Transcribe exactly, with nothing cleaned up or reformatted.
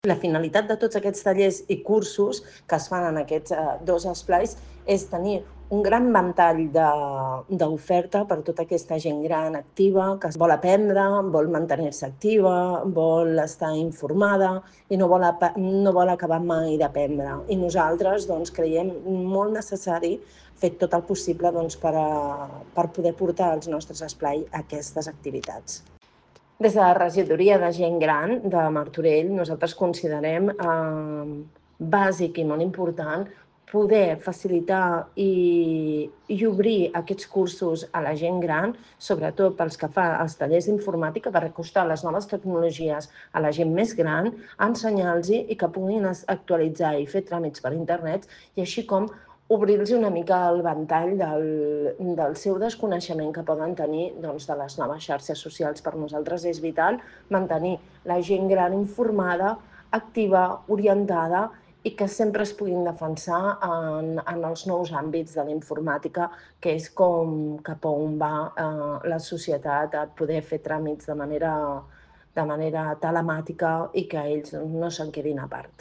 La finalitat de tots aquests tallers i cursos que es fan en aquests eh, dos esplais és tenir un gran ventall d'oferta per tota aquesta gent gran activa que es vol aprendre, vol mantenir-se activa, vol estar informada i no vol, no vol acabar mai d'aprendre. I nosaltres doncs, creiem molt necessari fer tot el possible doncs, per, a, per poder portar als nostres esplais aquestes activitats. Des de la regidoria de gent gran de Martorell, nosaltres considerem eh, bàsic i molt important poder facilitar i, i obrir aquests cursos a la gent gran, sobretot pels que fa els tallers d'informàtica, per acostar les noves tecnologies a la gent més gran, ensenyar-los i que puguin actualitzar i fer tràmits per internet, i així com obrir-los una mica el ventall del, del seu desconeixement que poden tenir doncs, de les noves xarxes socials. Per nosaltres és vital mantenir la gent gran informada, activa, orientada i que sempre es puguin defensar en, en els nous àmbits de la informàtica, que és com cap a on va eh, la societat a poder fer tràmits de manera, de manera telemàtica i que ells no se'n quedin a part.